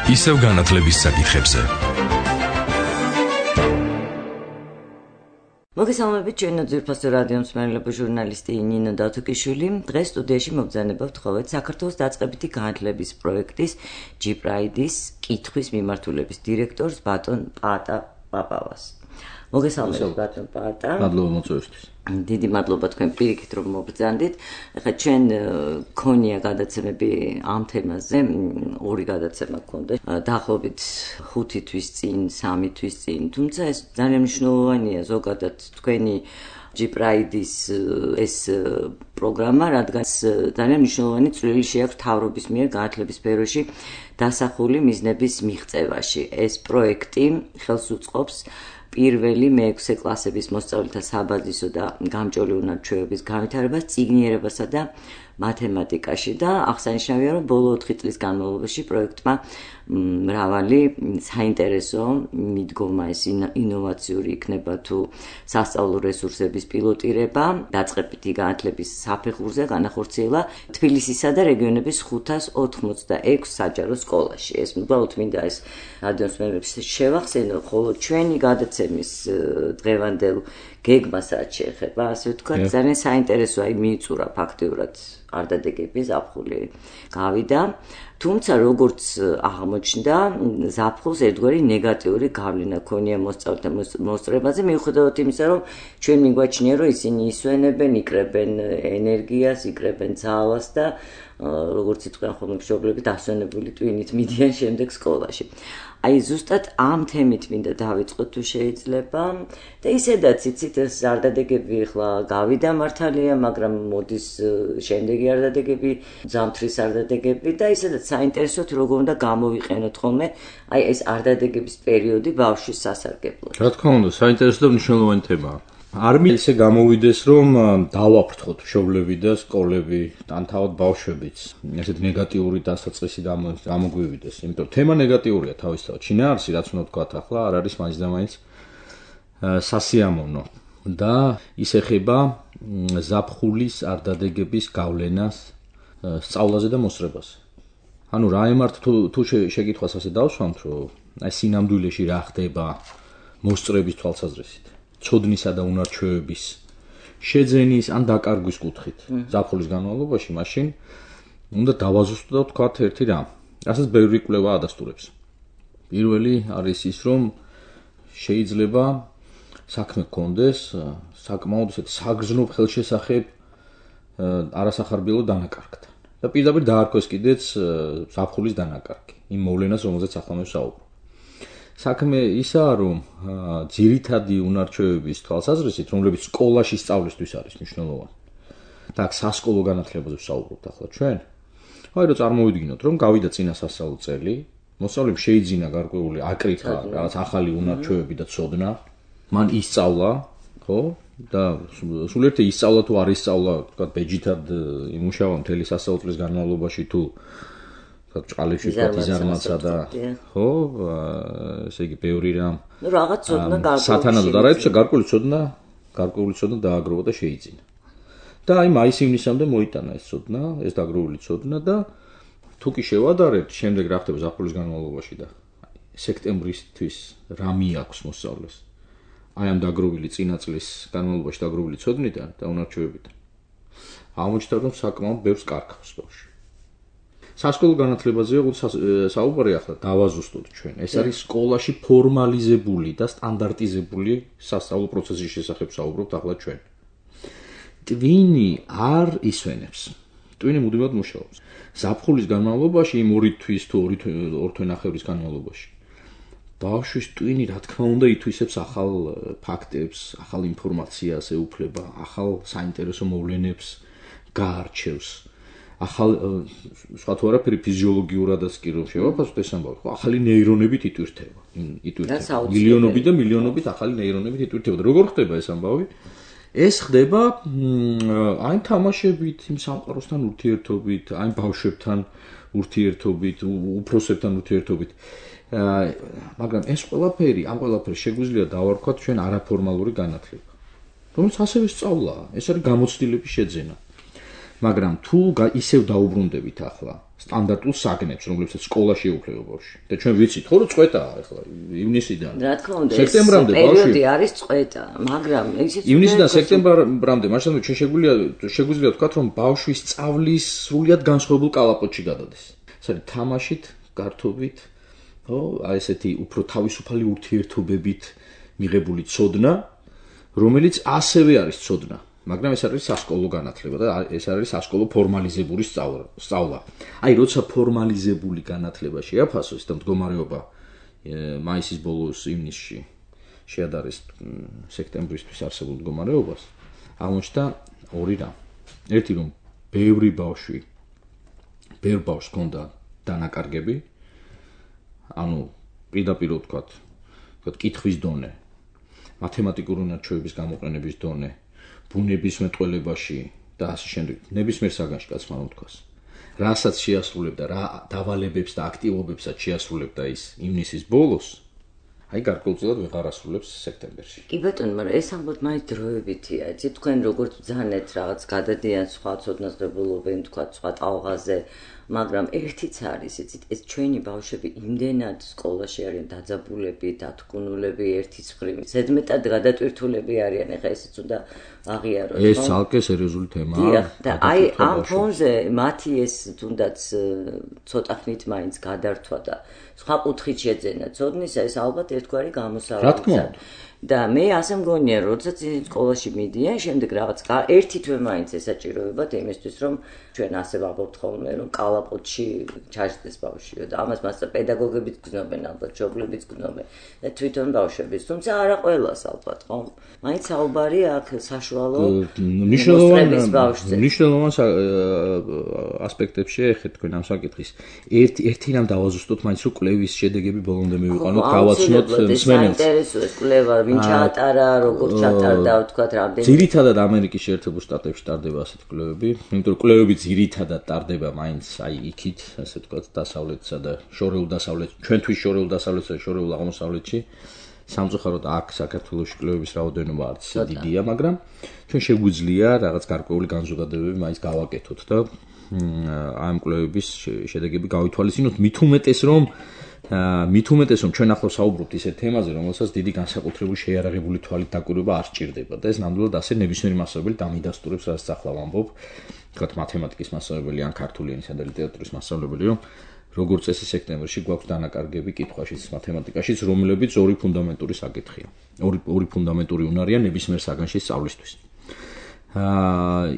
ისევ განათლების საკითხებზე. მოგესალმებით, ჩვენ ძვირფასო რადიო მსმენელებო ჟურნალისტი ნინო დათუკიშვილი. დღეს სტუდიაში მოგზაურობთ ხოლმე საქართველოს დაწყებითი განათლების პროექტის G-Pride-ის კითხვის მიმართულების დირექტორს ბატონ პაატა პაპავას. მოგესალმებით ბატონ პაატა. მადლობა მოწვევისთვის. დიდი მადლობა თქვენ პირიქით რომ მოგბრძანდით. ეხლა ჩვენ ქონია გადაცემები ამ თემაზე, ორი გადაცემა გქონდა. დაახლოებით 5 თვის წინ, 3 თვის წინ. თუმცა ეს ძალიან მნიშვნელოვანია ზოგადად თქვენი G-Pride-ის ეს პროგრამა, რადგან ძალიან მნიშვნელოვანი წვლილი შეაქვს მთავრობის მიერ განათლების სფეროში დასახული მიზნების მიღწევაში. ეს პროექტი ხელს უწყობს პირველი მე-6 კლასების მოსწავლეთა საბაზისო და გამჭოლი უნარჩვევების განვითარებას წიგნიერებასა და მათემატიკაში და აღსანიშნავია, რომ ბოლო 4 წლის განმავლობაში პროექტმა მრავალი საინტერესო მიდგომა ეს ინოვაციური იქნება თუ სასწავლო რესურსების პილოტირება დაწყებითი განათლების საფეხურზე განახორციელა თბილისისა და რეგიონების 586 საჯარო სკოლაში. ეს უბრალოდ მინდა ეს რადიოსმენელებს შევახსენო, ხოლო ჩვენი გადაცემის დღევანდელ გეგმას რაც შეეხება, ასე ვთქვათ, ძალიან საინტერესო მიიწურა ფაქტიურად არდადეგები ზაფხული გავიდა, თუმცა როგორც აღმოჩნდა, ზაფხულს ერთგვარი ნეგატიური გავლენა ქონია მოსწავლეთა მოსწრებაზე, მიუხედავად იმისა, რომ ჩვენ მიგვაჩნია, რომ ისინი ისვენებენ, იკრებენ ენერგიას, იკრებენ ძალას და როგორც იტყვიან ხოლმე მშობლები დასვენებული ტვინით მიდიან შემდეგ სკოლაში. აი ზუსტად ამ თემით მინდა დავიწყოთ თუ შეიძლება და ისედაც იცით ეს არდადეგები ახლა გავიდა მართალია, მაგრამ მოდის შემდეგი არდადეგები, ზამთრის არდადეგები და ისედაც საინტერესოდ როგორ უნდა გამოვიყენოთ ხოლმე აი ეს არდადეგების პერიოდი ბავშვის სასარგებლოდ. რა თქმა უნდა, საინტერესო და მნიშვნელოვანი თემაა. არ მისე გამოვიდეს რომ დავაფრთხოთ მშობლები და სკოლები, ან თავად ბავშვებიც. ესეთ ნეგატიური დასაწყისი გამოგვივიდეს, იმიტომ რომ თემა ნეგატიურია თავისთავად. შინაარსი რაც უნდა ვთქვათ ახლა არ არის მაინც და მაინც სასიამოვნო და ის ეხება ზაფხულის არდადეგების გავლენას სწავლაზე და მოსწრებაზე. ანუ რა ემართ თუ შეკითხვას ასე დავსვამთ, რომ აი სინამდვილეში რა ხდება მოსწრების თვალსაზრისით. ცოდნისა და უნარჩვევების შეძენის ან დაკარგვის კუთხით ზაფხულის განმავლობაში, მაშინ უნდა დავაზუსტოთ თქვათ ერთი რამ. რასაც ბევრი კვლევა ადასტურებს. პირველი არის ის, რომ შეიძლება საქმე გქონდეს საკმაოდ ესეთ საგრძნობ ხელშესახებ არასახარბიელო დანაკარგთან. და პირდაპირ დაარქვეს კიდეც ზაფხულის დანაკარგი, იმ მოვლენას, რომელზეც ახლა მე ვსაუბრობ. საქმე ისაა, რომ ძირითადი უნარჩვევების თვალსაზრისით, რომლებიც სკოლაში სწავლისთვის არის მნიშვნელოვანი. და აქ სასკოლო განათლებაზე ვსაუბრობთ ახლა ჩვენ. აი რომ წარმოვიდგინოთ, რომ გავიდა წინა სასწავლო წელი, მოსწავლემ შეიძინა გარკვეული აკრიტა, რაღაც ახალი უნარჩვევები და ცოდნა, მან ისწავლა, ხო? და სულ ერთი ისწავლა თუ არ ისწავლა, თქვათ, ბეჯითად იმუშავა მთელი სასწავლო წლის განმავლობაში თუ ჭყალებში იზარმაცა და ხო, ესე იგი ბევრი რამ. ნუ რაღაც ცოდნა გარკვეული. სათანადოდ არა იცოდა გარკვეული ცოდნა დააგროვა და შეიძინა. და აი მაის-ივნისამდე მოიტანა ეს ცოდნა, ეს დაგროვილი ცოდნა და თუ კი შევადარებთ, შემდეგ რა ხდება ზაფხულის განმავლობაში და სექტემბრისთვის რა მიაქვს მოსწავლეს. აი ამ დაგროვილი წინა წლის განმავლობაში დაგროვილი ცოდნიდან და უნარჩვევებიდან. აღმოჩნდა, რომ საკმაოდ ბევრს კარგავს ბავშვი. სასკოლო განათლებაზე საუბარი ახლა დავაზუსტოთ ჩვენ. ეს არის სკოლაში ფორმალიზებული და სტანდარტიზებული სასწავლო პროცესის შესახებ საუბრობთ ახლა ჩვენ. ტვინი არ ისვენებს. ტვინი მუდმივად მუშაობს. ზაფხულის განმავლობაში, იმ 2 თვის თუ 2 თვენახევრის განმავლობაში. ბავშვის ტვინი რა თქმა უნდა ითვისებს ახალ ფაქტებს, ახალ ინფორმაციას ეუფლება, ახალ საინტერესო მოვლენებს გაარჩევს. ახალ სხვა თუ არაფერი ფიზიოლოგიურადაც კი რომ შევაფასოთ ეს ამბავი, ხო, ახალი ნეირონებით იტვირთება. მილიონობით და მილიონობით ახალი ნეირონებით იტვირთება. და როგორ ხდება ეს ამბავი? ეს ხდება აი თამაშებით, იმ სამყაროსთან ურთიერთობით, აი ბავშვებთან ურთიერთობით, უფროსებთან ურთიერთობით. მაგრამ ეს ყველაფერი, ამ ყველაფერს შეგვიძლია დავარქვათ ჩვენ არაფორმალური განათლება. რომელიც ასევე სწავლაა, ეს არის გამოცდილების შეძენა. მაგრამ თუ ისევ დაუბრუნდებით ახლა სტანდარტულ საგნებს, რომლებსაც სკოლაში ეუფლება ბავშვი. და ჩვენ ვიცით, ხო, რომ წვეტაა ახლა ივნისიდან. რა თქმა უნდა, სექტემბრამდე პერიოდი არის წვეტა, მაგრამ ისიც ივნისიდან სექტემბრამდე, მაშინ შეგვიძლია ვთქვათ, რომ ბავშვი სწავლის სრულიად განსხვავებულ კალაპოტში გადადეს. ეს არის თამაშით, გართობით, ხო, აი ესეთი უფრო თავისუფალი ურთიერთობებით მიღებული ცოდნა, რომელიც ასევე არის ცოდნა. მაგრამ ეს არის სასკოლო განათლება და ეს არის სასკოლო ფორმალიზებული სწავლა. აი, როცა ფორმალიზებული განათლება შეაფასოს და მდგომარეობა მაისის ბოლოს ივნისში შეადარეს სექტემბრისთვის არსებულ მდგომარეობას, აღმოჩნდა ორი რამ. ერთი რომ ბევრ ბავშვს ჰქონდა დანაკარგები, ანუ პირდაპირ ვთქვათ, კითხვის დონე, მათემატიკური უნარჩვევების გამოყენების დონე, ბუნების მეტყველებაში და ასე შემდეგ. ნებისმიერ საგანში კაცმა რომ თქვას. რასაც შეასრულებდა, რა დავალებებს და აქტივობებსაც შეასრულებდა ის ივნისის ბოლოს, აი გარკვეულწილად ვეღარ ასრულებს სექტემბერში. კი ბატონო, მაგრამ ეს ამბობ მაინც დროებითია. იცით, თქვენ როგორც ბრძანეთ რაღაც გადადიან სხვა ცოდნას ღებულობენ, თქვა სხვა ტალღაზე, მაგრამ ერთიც არის, იცით, ეს ჩვენი ბავშვები იმდენად სკოლაში არიან დაძაბულები, დათგუნულები ერთის მხრივ. ზედმეტად გადატვირთულები არიან, ეხლა ესეც უნდა აღიაროთ. ეს ცალკე სერიოზული თემაა. დიახ, და აი ამ ფონზე მათი ეს თუნდაც ცოტა ხნით მაინც გადართვა და სხვა კუთხით შეძენა ცოდნისა, ეს ალბათ ერთგვარი გამოსავალია. და მე ასე მგონია, როდესაც სკოლაში მიდიან, შემდეგ რაღაც ერთი თვე მაინც ესაჭიროებათ იმისთვის, რომ ჩვენ ასე ვაბობთ ხოლმე, რომ კალაპოტში ჩაჯდეს ბავშვიო და ამას მასა პედაგოგებიც გზნობენ, ალბათ მშობლებიც გზნობენ და თვითონ ბავშვებიც, თუმცა არა ყველას ალბათ, ხო? მაინც საუბარი აქ საშუალო მნიშვნელოვან ასპექტებში ეხეთ თქვენ ამ საკითხის. ერთი რამ დავაზუსტოთ მაინც, რომ კვლევის შედეგები ბოლომდე მივიყვანოთ, გავაცნოთ მსმენელს. საინტერესოა კვლევა, ვინ ჩაატარა, როგორ ჩაატარდა, ვთქვათ, რამდენი. ძირითადად ამერიკის შეერთებულ შტატებში ტარდება ასეთი კვლევები, იმიტომ რომ კვლევები ძირითადად ტარდება მაინც აი იქით, ასე ვთქვათ, დასავლეთსა და შორეულ დასავლეთში, ჩვენთვის შორეულ დასავლეთსა და შორეულ აღმოსავლეთში. სამწუხაროდ აქ საქართველოში კვლევების რაოდენობა არც დიდია, მაგრამ ჩვენ შეგვიძლია რაღაც გარკვეული განზოგადებები მაინც გავაკეთოთ და ამ კვლევების შედეგები გავითვალისწინოთ, მით უმეტეს რომ ჩვენ ახლა საუბრობთ ისეთ თემაზე, რომელსაც დიდი განსაკუთრებული შეიარაღებული თვალით დაკვირვება არ სჭირდება და ეს ნამდვილად ასე ნებისმიერი მასწავლებელი დამიდასტურებს, რაც ახლა ვამბობ, თქვათ მათემატიკის მასწავლებელი ან ქართული ენისა და ლიტერატურის მასწავლებელი, რომ როგორც წესი სექტემბერში გვაქვს დანაკარგები კითხვაშიც, მათემატიკაშიც, რომლებიც ორი ფუნდამენტური საკითხია. ორი ფუნდამენტური უნარია ნებისმიერ საგანში სწავლისთვის.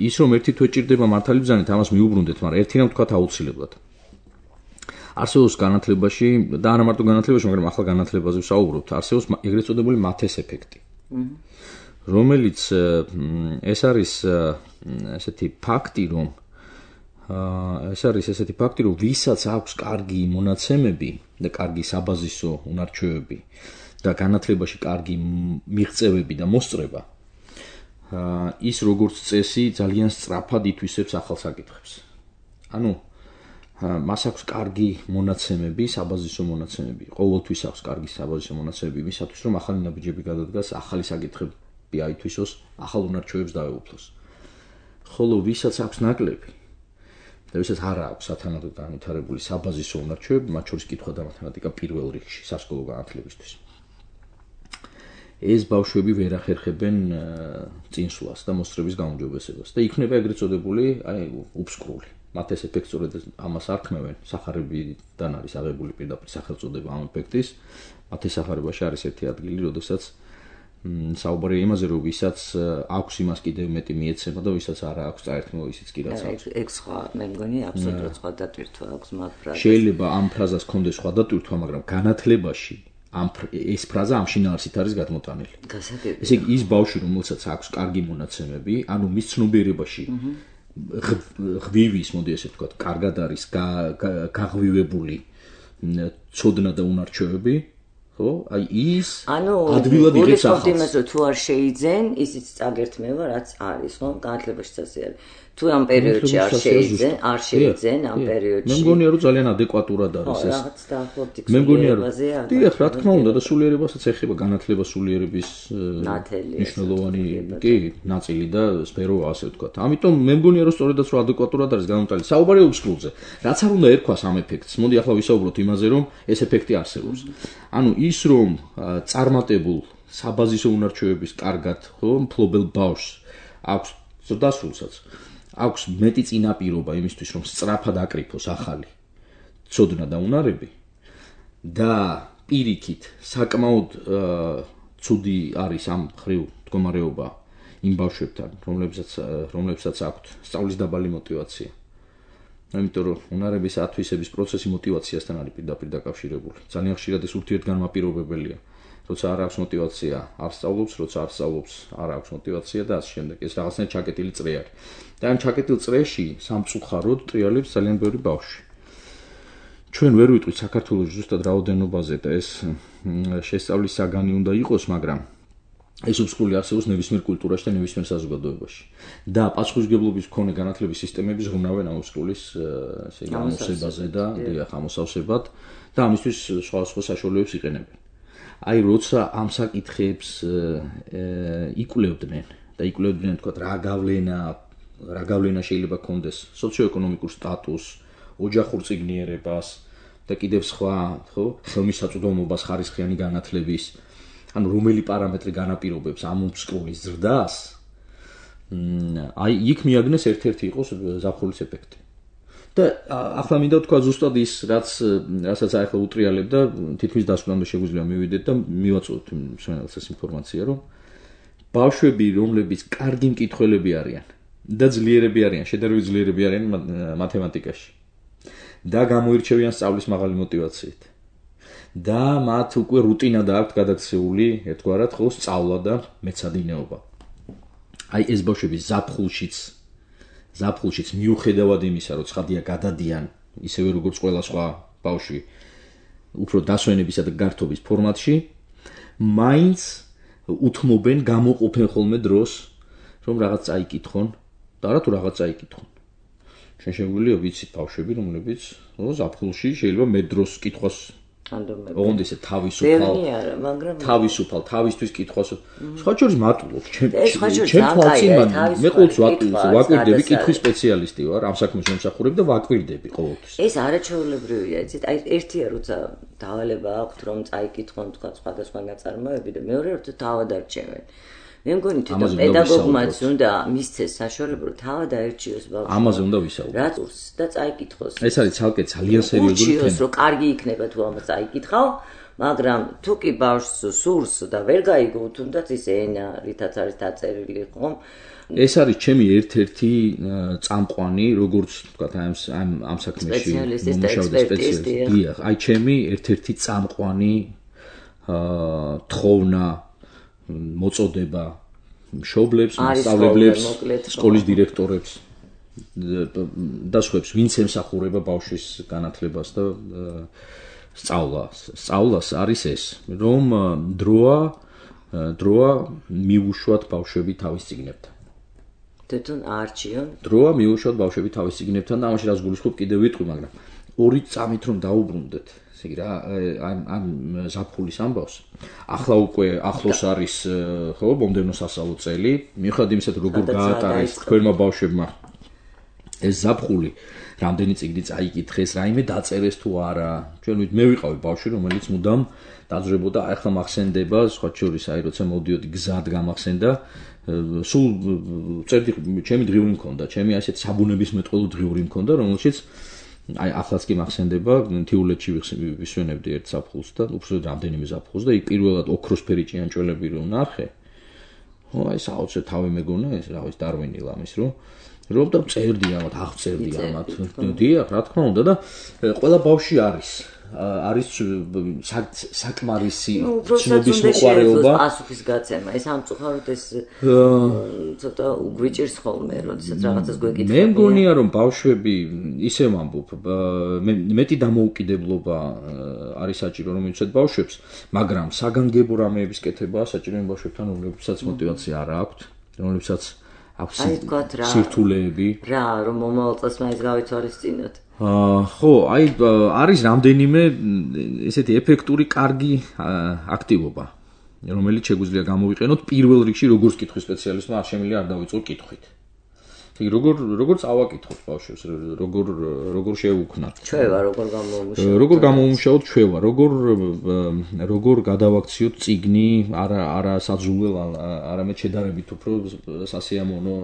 ის რომ ერთი თვე ჭირდება მართალი ბრძანით, ამას მიუბრუნდეთ, მაგრამ ერთი რამ თქვათ აუცილებლად. არსებობს განათლებაში და არა მარტო განათლებაში, მაგრამ ახლა განათლებაზე ვსაუბრობთ, არსებობს ეგრეთ წოდებული მათეს ეფექტი. რომელიც ეს არის ესეთი ფაქტი, რომ ვისაც აქვს კარგი მონაცემები და კარგი საბაზისო უნარჩვევები და განათლებაში კარგი მიღწევები და მოსწრება, ის როგორც წესი ძალიან სწრაფად ითვისებს ახალ საკითხებს. ანუ მას აქვს კარგი მონაცემები, საბაზისო მონაცემები. ყოველთვის აქვს კარგი საბაზისო მონაცემები იმისათვის, რომ ახალი ნაბიჯები გადადგას, ახალი საკითხები აითვისოს, ახალ უნარჩვევებს დაეუფლოს. ხოლო ვისაც აქვს ნაკლები და ვისაც არ აქვს სათანადოდ განვითარებული საბაზისო უნარჩვევები, მათ შორის კითხვა და მათემატიკა პირველ რიგში სასკოლო განათლებისთვის. ეს ბავშვები ვერ ახერხებენ წინსვლას და მოსწრების გაუმჯობესებას და იქნება ეგრეთ წოდებული, აი, უბსკრული. მათ ეს ეფექტი სწორედ ამას არქმევენ, სახარებიდან არის აღებული პირდაპირ სახელწოდება ამ ეფექტის. მათ ეს სახარებაში არის ერთი ადგილი, როდესაც საუბარია იმაზე, რომ ვისაც აქვს იმას კიდევ მეტი მიეცემა და ვისაც არა აქვს წაერთმო ისიც კი რაც აქვს. ეგ სხვა, მე მგონი აბსოლუტურად სხვა დატვირთვა აქვს მაგ ფრაზას. შეიძლება ამ ფრაზას ჰქონდეს სხვა დატვირთვა, მაგრამ განათლებაში ეს ფრაზა ამ შინაარსით არის გადმოტანილი. ესე იგი ის ბავშვი, რომელსაც აქვს კარგი მონაცემები, ანუ მის ცნობიერებაში ღვივის, მოდი ესე ვთქვათ, კარგად არის გაღვივებული ცოდნა და უნარჩვევები, ხო? აი ის ადვილად იღებს ახალს. იმას რომ თუ არ შეიძენ, ისიც წაგერთმევა, რაც არის, ხო? განათლებაშიც ასე არის. თუ ამ პერიოდში არ შეიძენ ამ პერიოდში. მე მგონია რომ ძალიან ადეკვატურად არის ეს. რაღაც დაახლოებით მე მგონია რომ დიახ, რა თქმა უნდა და სულიერებასაც ეხება განათლება სულიერების მნიშვნელოვანი კი ნაწილი და სფერო ასე ვთქვათ. ამიტომ მე მგონია რომ სწორედაც რომ ადეკვატურად არის განმტალი. საუბარი უბსკულზე. რაც არ უნდა ერქვას ამ ეფექტს. მოდი ახლა ვისაუბროთ იმაზე რომ ეს ეფექტი არსებობს. ანუ ის რომ წარმატებულ საბაზისო უნარჩვევების კარგად, ხო, მფლობელ ბავშვს აქვს ზრდასრულსაც აქვს მეტი წინაპირობა იმისთვის რომ სწრაფად აკრიფოს ახალი ცოდნა და უნარები და პირიქით საკმაოდ ცუდი არის ამ ხრივ მდგომარეობა იმ ბავშვებთან რომლებსაც აქვთ სწავლის დაბალი мотиваცია. იმიტომ რომ უნარების ათვისების პროცესი мотиваციასთან არის პირდაპირ დაკავშირებული. ძალიან ხშირად ეს ურთიერთგანმაპირობებელია. როცა არ აქვს мотиваცია, არ სწავლობს, როცა არ სწავლობს, არ აქვს мотиваცია და ასე შემდეგ. ეს რაღაცნაირად ჩაკეტილი წრე არის. და ამ ჩაკეტილ წრეში სამწუხაროდ ტრიალებს ძალიან ბევრი ბავშვი. ჩვენ ვერ ვიტყვით საქართველოს ზუსტად რაოდენობაზე და ეს შესწავლის საგანი უნდა იყოს, მაგრამ ეს უბსკული არსებობს ნებისმიერ კულტურაში და ნებისმიერ საზოგადოებაში. და პასუხისმგებლობის მქონე განათლების სისტემები ზრუნავენ ამ უბსკულის ესე იგი ამოსებაზე და დიახ ამოსავსებად და ამისთვის სხვადასხვა საშუალებებს იყენებენ. აი როცა ამ საკითხებს იკვლევდნენ და იკვლევდნენ თქვა რა გავლენა შეიძლება კონდეს სოციო-ეკონომიკურ სტატუსს, ოჯახურ წიგნიერებას და კიდევ სხვა, ხო, ხელმისაწვდომობას ხარისხიანი განათლების, ანუ რომელი პარამეტრი განაპირობებს ამ უბსკულის ზრდას, აი იქ მიაგნეს ერთ-ერთი იყოს ზაფხულის ეფექტი. და ახლა მინდა თქვა ზუსტად ის რასაც ახლა უტრიალებ და თითქმის დასკვნამდე შეგვიძლია მივიდეთ და მივაწვევთ მსმენელს ეს ინფორმაცია რომ ბავშვები რომლებიც კარგი მკითხველები არიან და ძლიერები არიან შედარებით ძლიერები არიან მათემატიკაში და გამოირჩევიან სწავლის მაღალი мотиваციით და მათ უკვე რუტინა დააქვთ გადაქცეული ერთგვარად ხო სწავლა და მეცადინეობა აი ეს ბავშვები ზაფხულშიც მიუხედავად იმისა, რომ ცხადია გადადიან, ისევე როგორც ყველა სხვა ბავშვი, უფრო დასვენებისა და გართობის ფორმატში, მაინც უთმობენ, გამოყოფენ ხოლმე დროს, რომ რაღაც წაიკითხონ და არა თუ რაღაც წაიკითხონ. ჩვენ შეგვიძლია ვიცით ბავშვები, რომლებიც ზაფხულში შეიძლება მე დროს კითხვას ოღონდ ისე თავისუფალ თავისთვის კითხვას სხვა შორის მატულობ ჩემ თვალწინ მე ყოველთვის ვაკვირდები კითხვის სპეციალისტი ვარ ამ საქმეს მომსახურებ და ვაკვირდები ყოველთვის ეს არაჩვეულებრივია იცით აი ერთია როცა დავალება აქვთ რომ წაიკითხონ თქვა სხვადასხვა ნაწარმოები და მეორე როცა თავად არჩევენ მე მგონი თვითონ პედაგოგმაც უნდა მისცეს საშუალება რომ თავად აერჩიოს ბავშვი ამაზე უნდა ვისაუბროთ რა წურს და წაიკითხოს ეს არის ცალკე ძალიან სერიოზული თემა რომ კარგი იქნება თუ ამას წაიკითხავ მაგრამ თუ კი ბავშვს სურს და ვერ გაიგო თუნდაც ის ენა რითაც არის დაწერილი ხომ ეს არის ჩემი ერთ-ერთი წამყვანი როგორც თქვა ამ საქმეში მომუშავე სპეციალისტი დიახ აი ჩემი ერთ-ერთი წამყვანი თხოვნა მოწოდება მშობლებს, მასწავლებლებს, სკოლის დირექტორებს და სხვებს, ვინც ემსახურება ბავშვის განათლებას და სწავლას არის ეს, რომ დროა მიუშვათ ბავშვები თავის წიგნებთან. თვითონ არჩიონ? დროა მიუშვათ ბავშვები თავის წიგნებთან და ამაში რას გულისხმობ კიდევ ვიტყვი, მაგრამ ორი წამით რომ დაუბრუნდეთ ესე იგი რა ამ ზაფხულის ამბავს ახლა უკვე ახლოს არის ხო მომდევნო სასწავლო წელი მიუხედავად იმისა როგორ გაატარეს თქვენმა ბავშვებმა ეს ზაფხული რამდენი წიგნი წაიკითხეს რაიმე დაწერეს თუ არა ჩვენ მე ვიყავი ბავშვი რომელიც მუდამ დაძრებოდა ახლა მახსენდება სხვა შორის აი როცა მოდიოდი გზად გამახსენდა სულ წერდი ჩემი დღიური მქონდა ჩემი ასეთ საბუნებისმეტყველო დღიური მქონდა რომელშიც აი ახლაც კი მახსენდება თიულეთში ვისვენებდი ერთ ზაფხულს და უბრალოდ რამდენიმე ზაფხულს და იქ პირველად ოქროსფერი ჭიანჭველები რომ ნახე ხო აი საოცრად თავი მეგონა ეს რა ვიცი დარვინი ლამის რომ რომ და წერდი ამათ, აღწერდი ამათ. დიახ, რა თქმა უნდა და ყველა ბავში არის საკმარისი ცნობის მოყვარეობა. პასუხის გაცემა, ეს ამწუხაროდ ეს ცოტა უგვიჭირს ხოლმე, როდესაც რაღაცას გვეკითხებიან. მე მგონია რომ ბავშვები ისე ვამბობ, მეტი დამოუკიდებლობა არის საჭირო რომელიცაც ბავშვებს, მაგრამ საგანგებო რამეების კეთებაა საჭირო იმ ბავშვებთან, რომლებსაც мотиваცია არ აქვთ, რომლებსაც აქვს სირთულეები. რა, რომ მომავალ წელს მაინც გავიცვალისწინოთ. ხო, აი არის რამდენიმე ესეთი ეფექტური კარგი აქტივობა, რომელიც შეგვიძლია გამოვიყენოთ პირველ რიგში როგორც კითხვის სპეციალისტმა არ შემიძლია არ დავიწყო კითხვით. როგორ წავაკითხოთ ბავშვებს, როგორ შევუქმნათ. ჩვევა როგორ გამოვიმუშავოთ. როგორ გამოვიმუშავოთ ჩვევა, როგორ გადავაქციოთ წიგნი, არა საძულელ, არამედ შედარებით უფრო სასიამოვნო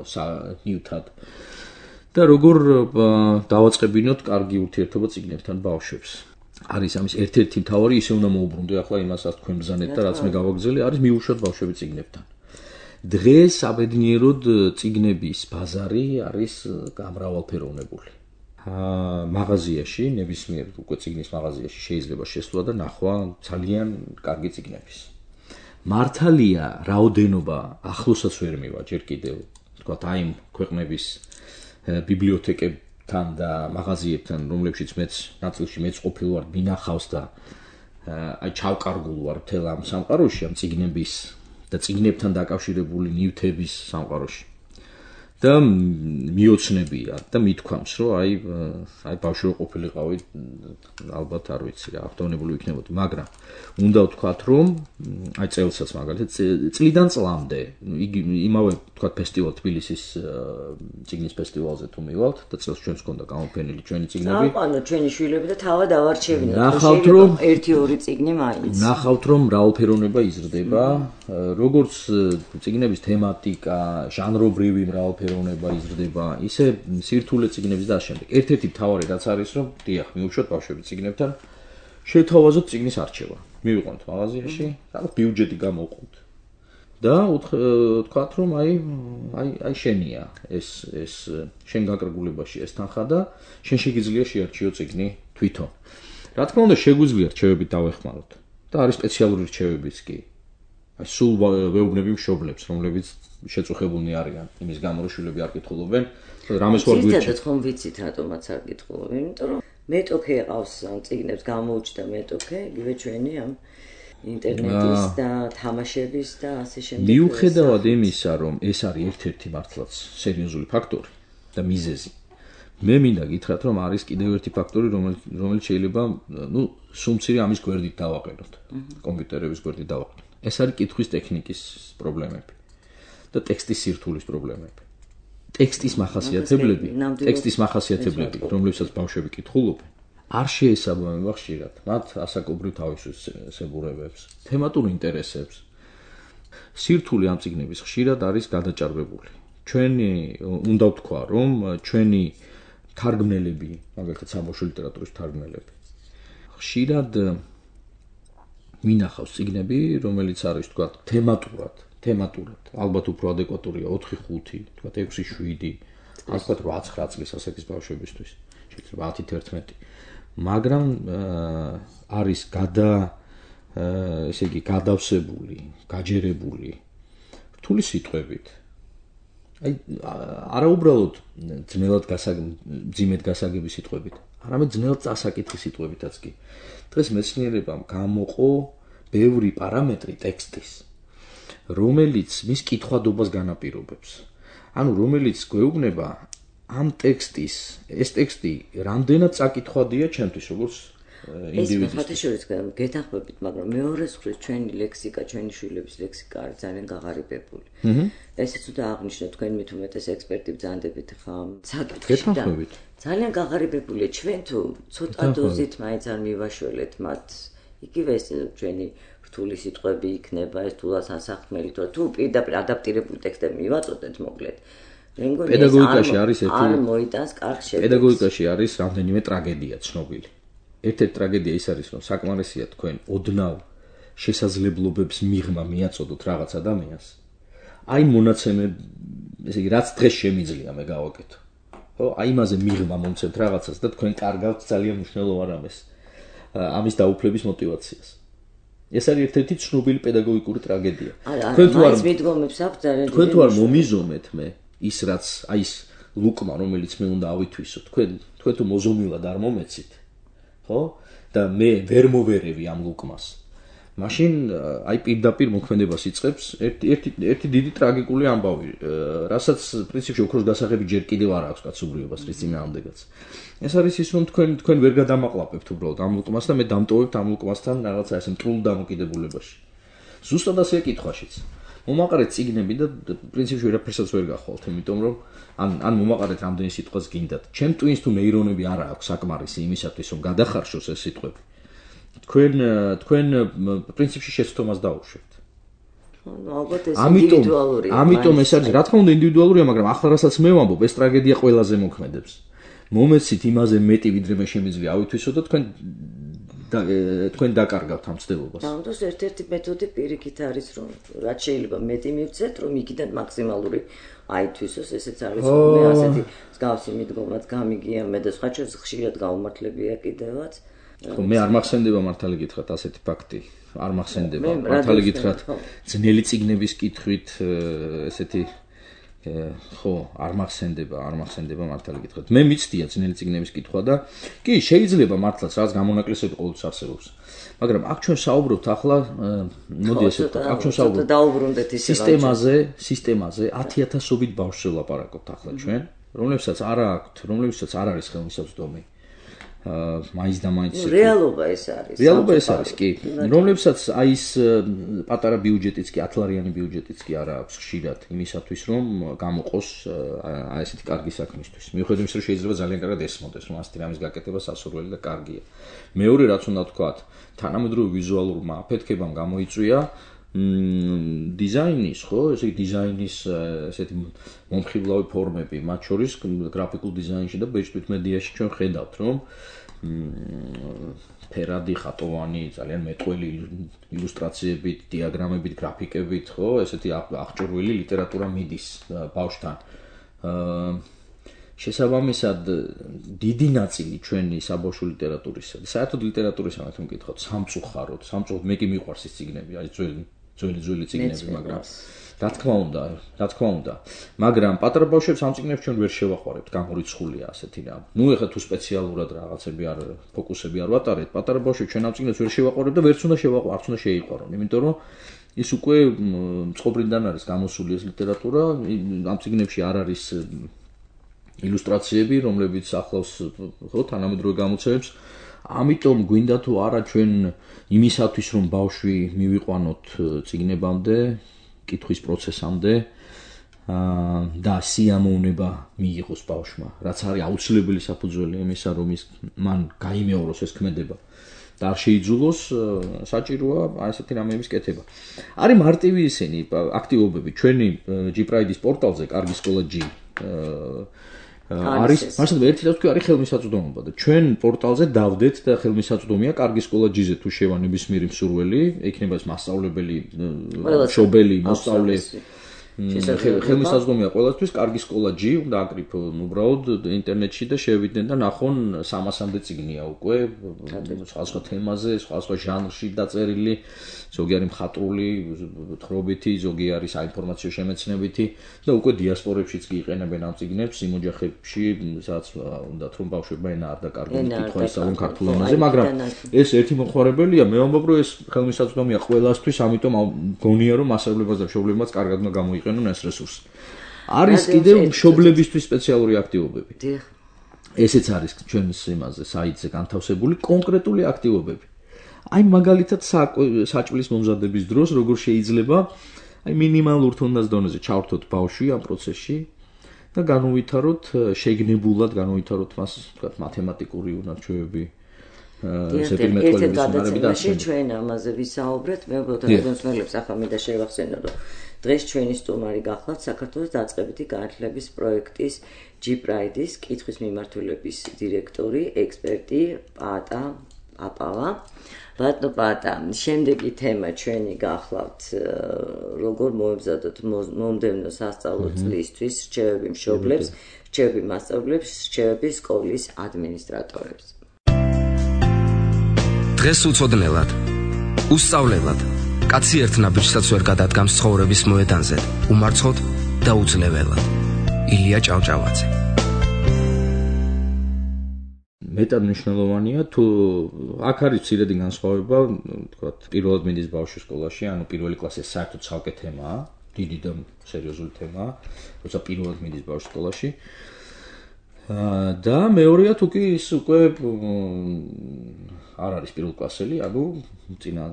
ნივთად. და როგორ დავაწყებინოთ კარგი ურთიერთობა წიგნებთან ბავშვებს. არის ამის ერთ-ერთი მთავარი, ისე უნდა მოუბრუნდე ახლა იმასაც თქვენ ბრძანეთ და რაც მე გავაგრძელე, არის მიუშვათ ბავშვები წიგნებთან. დღეს საბედნიეროდ წიგნების ბაზარი არის გამრავალფეროვნებული. მაღაზიაში, ნებისმიერ უკვე წიგნის მაღაზიაში შეიძლება შესვლა და ნახვა ძალიან კარგი წიგნების. მართალია, რაოდენობა ახლოსაც ვერ მივა ჯერ კიდევ, თქვათ აი ქვეყნების ბიბლიოთეკებთან და მაღაზიებთან, რომლებშიც მეც ნაწილში მეც ყოფილ ვარ, მინახავს და აი ჩავკარგულ ვარ მთელ ამ სამყაროში, ამ წიგნების და წიგნებთან დაკავშირებული ნივთების სამყაროში. და მიოცნებია და მithქვამს, რომ აი ბავშვი ყოფილიყავი, ალბათ არ ვიცი რა, ავტონებული ვიქნებოდი, მაგრამ უნდა ვთქვათ, რომ აი წელსაც მაგალითად წლიდან წლამდე, იგი იმავე ვთქვათ ფესტივალ თბილისის წიგნის ფესტივალზე თუ მივალთ და წელს ჩვენს გქონდა გამოფენილი ჩვენი წიგნები. ანუ ჩვენი შვილები და თავად ავარჩევინოთ. ნახავთ, რომ 1-2 წიგნი მაინც. ნახავთ, რომ მრავალფეროვნება იზრდება, როგორც წიგნების თემატიკა, ჟანრობრივი მრავალფეროვნება იზრდება, ისე სირთულე წიგნების და ამავდროულად. ერთ-ერთი მთავარი რაც არის, რომ დიახ, მიუშვათ ბავშვები წიგნებთან, შეთავაზოთ წიგნის არჩევა. მივიყვანთ მაღაზიაში, რაღაც ბიუჯეტი გამოვყოთ. და ვთქვათ, რომ აი შენია ეს შენ გაკრგულებაში ეს თანხა და შენ შეგიძლია შეარჩიო წიგნი თვითონ. რა თქმა უნდა, შეგვიძლია რჩევებით დავეხმაროთ. და არის სპეციალური რჩევებიც კი. აი სულ ვეუბნები მშობლებს, რომლებიც შეწუხებულნი არიან იმის გამო, რომ შვილები არ კითხულობენ, რამეს ვარ გვირჩევთ. ზოგადად ხომ ვიცით რატომაც არ კითხულობენ, იმიტომ რომ მეტოქე ყავს ამ წიგნებს გამოუჩნდა მეტოქე, იგივე ჩვენი ამ ინტერნეტის და თამაშების და ასე შემდეგ. მიუხედავად იმისა, რომ ეს არის ერთ-ერთი მართლაც სერიოზული ფაქტორი და მიზეზი. მე მინდა გითხრათ, რომ არის კიდევ ერთი ფაქტორი, რომელიც შეიძლება, სუმცირე ამის გვერდით დავაყენოთ, კომპიუტერების გვერდით დავაყენოთ. ეს არის კითხვის ტექნიკის პრობლემები და ტექსტის სირთულის პრობლემები. ტექსტის მახასიათებლები, რომლებსაც ბავშვები კითხულობენ, არ შეესაბამება ხშირად მათ ასაკობრივ თავისებურებებს, თემატურ ინტერესებს. სირთული ამ წიგნების ხშირად არის გადაჭარბებული. ჩვენი უნდა ვთქვა, რომ ჩვენი თარგმნელები, მაგალითად საბავშვო ლიტერატურის თარგმნელები, ხშირად მინახავს წიგნები, რომელიც არის თქვა თემატურად, ალბათ უფრო ადეკვატურია 4-5, თქვა 6-7, ალბათ 8-9 წლის ასაკის ბავშვებისთვის, შეიძლება 10-11. მაგრამ არის ესე იგი გადავსებული, გაჯერებული რთული სიტყვებით. აი არაუბრალოდ ძიმედ გასაგები სიტყვებით, არამედ ძნელად წასაკითხი სიტყვებითაც კი. დღეს მეცნიერებამ გამოყო ბევრი პარამეტრი ტექსტის, რომელიც მის კითხვადობას განაპირობებს. ანუ რომელიც გვეუბნება ამ ტექსტის, ეს ტექსტი რამდენად წაკითხვადია ჩემთვის, როგორც ინდივიდის. ეს ხათაშორის გეთახმებით, მაგრამ მეორე მხრივ ჩვენი ლექსიკა, ჩვენი შვილების ლექსიკა არის ძალიან გაღარიბებული. ესეც უნდა აღნიშნოთ, თქვენ მით უმეტეს ექსპერტი ბრძანდებით ხომ საკითხში და ძალიან გაღარიბებულია. ჩვენ თუ ცოტა დოზით მაინც არ მივაშველეთ მათ, იგივე ეს ჩვენი რთული სიტყვები იქნება, ეს თულას ასახმელი, თუ პირდაპირ ადაპტირებული ტექსტები მივაწოდეთ მოკლედ. პედაგოგიკაში არის არ მოიტანს კარგ შედეგს. პედაგოგიკაში არის რამდენიმე ტრაგედია ცნობილი. ერთ-ერთი ტრაგედია ის არის, რომ საკმარისია თქვენ ოდნავ შესაძლებლობებს მიღმა მიაწოდოთ რაღაც ადამიანს. აი მონაცემე, ესე იგი, რაც დღეს შემიძლია მე გავაკეთო. ხო, აი იმაზე მიღება მომცემთ რაღაცას და თქვენ კარგავთ ძალიან მნიშვნელოვან რამეს. ამის დაუფლების мотиваციას. ეს არის ერთ-ერთი ცნობილი პედაგოგიკური ტრაგედია. თქვენ თუ არ მიდგომებს აქვს ძალიან თქვენ თუ არ მომიზომეთ მე ის რაც აი ეს ლუკმა რომელიც მე უნდა ავითვისო თქვენ თუ მოზომილად არ მომეცით ხო და მე ვერ მოვერევი ამ ლუკმას მაშინ აი პირდაპირ მოქმედებას იწყებს ერთი დიდი ტრაგიკული ამბავი რასაც პრინციპში ოქროს გასაღები ჯერ კიდევ არ აქვს კაცობრიობას რის წინააღმდეგაც ეს არის ის რომ თქვენ ვერ გადამაყლაპებთ უბრალოდ ამ ლუკმას და მე დამტოვებთ ამ ლუკმასთან რაღაცა ესე მტრულ დამოკიდებულებაში ზუსტად ასე კითხვაშიც მომაყარეთ წიგნები და პრინციპში ვერაფერსაც ვერ გახვალთ იმიტომ რომ ან მომაყარეთ რამდენი სიტყვას გინდათ ჩემ ტვინს თუ ნეირონები არ აქვს საკმარისი იმისათვის რომ გადახარშოს ეს სიტყვები თქვენ პრინციპში შეცდომას დაუშვებთ ალბათ ეს ინდივიდუალურია ამიტომ ეს არის რა თქმა უნდა ინდივიდუალურია მაგრამ ახლა რასაც მე ვამბობ ეს ტრაგედია ყველაზე მოქმედებს მომეცით იმაზე მეტი ვიდრე მე შემიძლია ავითვისო და თქვენ დაკარგავთ ამ ცდილობას. ამიტომ ერთ-ერთი მეთოდი პირიქით არის რომ რაც შეიძლება მეტი მივცეთ რომ იქიდან მაქსიმალური აითვისოს ესეც არის რომ მე ასეთი მსგავსი მიდგომაც გამიგია მე და სხვა ჩვენს ხშირად გაუმართლებია კიდევაც. ხო მე არ მახსენდება მართალი გითხრათ ასეთი ფაქტი. არ მახსენდება მართალი გითხრათ ძნელი წიგნების კითხვით ესეთი ხო არ მახსენდება მართალი გითხრათ მე მიცდია ძნელი წიგნების კითხვა და კი შეიძლება მართლაც რაც გამონაკლისები ყოველთვის არსებობს მაგრამ აქ ჩვენ საუბრობთ ახლა მოდი ესე აქ ჩვენ საუბრობთ დაუბრუნდეთ ისე სისტემაზე 10000-ობით ბავშვს ვლაპარაკობთ ახლა ჩვენ რომლებსაც არ არის ხელმისაწვდომი მაინც და მაინც რეალობა ეს არის კი რომლებსაც აი ეს პატარა ბიუჯეტიც კი 10 ლარიანი ბიუჯეტიც კი არ აქვს ხშირად იმისათვის რომ გამოყოს აი ესეთი კარგი საქმისთვის მიუხედავად იმისა რომ შეიძლება ძალიან კარგად ესმოდეს რომ ასეთი რამის გაკეთება სასურველი და კარგია მეორე რაც უნდა ვთქვათ თანამედროვე ვიზუალურმა აფეთქებამ გამოიწვია დიზაინის ხო ესე დიზაინის ესეთი მომხიბლავი ფორმები მათ შორის გრაფიკულ დიზაინში და ბეჭდვით მედიაში ჩვენ ხედავთ რომ ფერადი ხატოვანი ძალიან მეტყველი ილუსტრაციებით დიაგრამებით გრაფიკებით ხო ესეთი აღჭურვილი ლიტერატურა მიდის ბავშვთან შესაბამისად დიდი ნაწილი ჩვენი საბავშვო ლიტერატურისა და საერთოდ ლიტერატურისა მათ მკითხოთ სამწუხაროდ მე კი მიყვარს ის წიგნები აი ძველი წიგნები მაგრამ რა თქმა უნდა მაგრამ პატარა ბავშვებს ამ წიგნებს ჩვენ ვერ შევაყვარებთ გამორიცხულია ასეთი რა ნუ ეხლა თუ სპეციალურად რაღაცები არ ფოკუსები არ ვატარებთ პატარა ბავშვებს ჩვენ ამ წიგნებს ვერ შევაყვარებთ და არც უნდა შეიყვარონ იმიტომ რომ ის უკვე წყობრიდან არის გამოსული ეს ლიტერატურა ამ წიგნებში არ არის ილუსტრაციები რომლებიც ახლავს ხო თანამედროვე გამოცემებს ამიტომ გვინდა თუ არა ჩვენ იმისათვის რომ ბავშვი მივიყვანოთ წიგნებამდე კითხვის პროცესამდე და სიამოვნება მიიღოს ბავშვმა რაც არის აუცილებელი საფუძველი იმისა რომ მან გაიმეოროს ეს ქმედება და არ შეიძულოს საჭიროა აი ესეთი რამეების კეთება არის მარტივი ისინი აქტივობები ჩვენი G-Pride-ის პორტალზე კარგი სკოლა G არის მასე ერთი და თქვი არის ხელმისაწვდომობა და ჩვენ პორტალზე დავდეთ და ხელმისაწვდომია კარგი სკოლა G-ზე თუ შევა ნებისმიერი მსურველი ექნება ეს მასწავლებელი მშობელი მოსწავლე ხელმისაწვდომია ყველასთვის კარგი სკოლა G უნდა აკრიფონ უბრალოდ ინტერნეტში და შევიდნენ და ნახონ 300-მდე წიგნია უკვე სხვა თემაზე სხვა ჟანრში დაწერილი ზოგი არის მხატვრული თხრობითი ზოგი არის საინფორმაციო შემეცნებითი და უკვე დიასპორებშიც კი იყენებენ ამ წიგნებს იმ ოჯახებში სადაც უნდათ რომ ბავშვებმა ენა არ დაკარგონ კითხვა ისწავლონ ქართულ ენაზე მაგრამ ეს ერთი მოხმარებელია მე ვამბობ რომ ეს ხელმისაწვდომია ყველასთვის ამიტომ გონია რომ მასწავლებელს და მშობლებმაც კარგად უნდა გამოიყენონ ეს რესურსი არის კიდევ მშობლებისთვის სპეციალური აქტივობები ესეც არის ჩვენს იმაზე საიტზე განთავსებული კონკრეტული აქტივობები აი მაგალითად საჭმლის მომზადების დროს როგორ შეიძლება აი მინიმალურ თუნდაც დონეზე ჩავრთოთ ბავშვი ამ პროცესში და განუვითაროთ შეგნებულად განუვითაროთ მას თქვა მათემატიკური უნარჩვევები ზეპირ მეტყველების უნარები და ასე ჩვენ ამაზე ვისაუბრეთ მე უბრალოდ რადიოსმენელებს ახლა მინდა შევახსენო რომ დღეს ჩვენი სტუმარი გახლავთ საქართველოს დაწყებითი განათლების პროექტის G-Pride-ის კითხვის მიმართულების დირექტორი, ექსპერტი პაატა აპავა. ბატონო პატა, შემდეგი თემა ჩვენი გახლავთ როგორ მოემზადოთ მომდევნო სასწავლო წლისთვის რჩევები მშობლებს, რჩევები მასწავლებლებს, რჩევები სკოლის ადმინისტრატორებს. დღეს უცოდნელად, უსწავლელად, კაცი ერთ ნაბიჯსაც ვერ გადადგამს ცხოვრების მოედანზე, უმარცხოდ და უძლეველად. ილია ჭავჭავაძე. მეტად მნიშვნელოვანია თუ აქ არის მცირედი განსხვავება, თქვათ, პირველად მიდის ბავშვი სკოლაში, ანუ პირველი კლასი საერთოდ ცალკე თემაა, დიდი და სერიოზული თემაა, როცა პირველად მიდის ბავშვი სკოლაში. და მეორეა თუ კი ის უკვე არ არის პირველკლასელი, ანუ წინა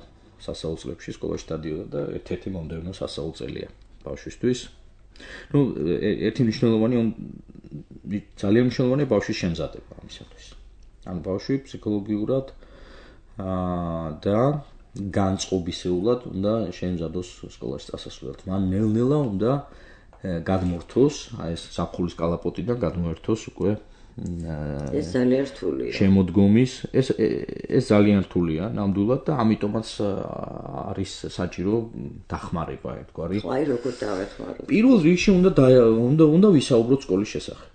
სასწავლო წლებში სკოლაში დადიოდა და ერთ-ერთი მომდევნო სასწავლო წელია ბავშვისთვის. ნუ ერთი მნიშვნელოვანი ძალიან მნიშვნელოვანია ბავშვის შემზადება ამისათვის. ანუ ბავშვი ფსიქოლოგიურად და განწყობისეულად უნდა შემზადოს სკოლაში წასასვლელად. მან ნელ-ნელა უნდა გადმორთოს, აი ეს ზაფხულის კალაპოტიდან გადმოერთოს უკვე ეს ძალიან რთულია. შემოდგომის, ეს ძალიან რთულია ნამდვილად და ამიტომაც არის საჭირო დახმარება ერთგვარი. ხო, აი როგორ დავეხმაროთ. პირველ რიგში უნდა ვისაუბროთ სკოლის შესახებ.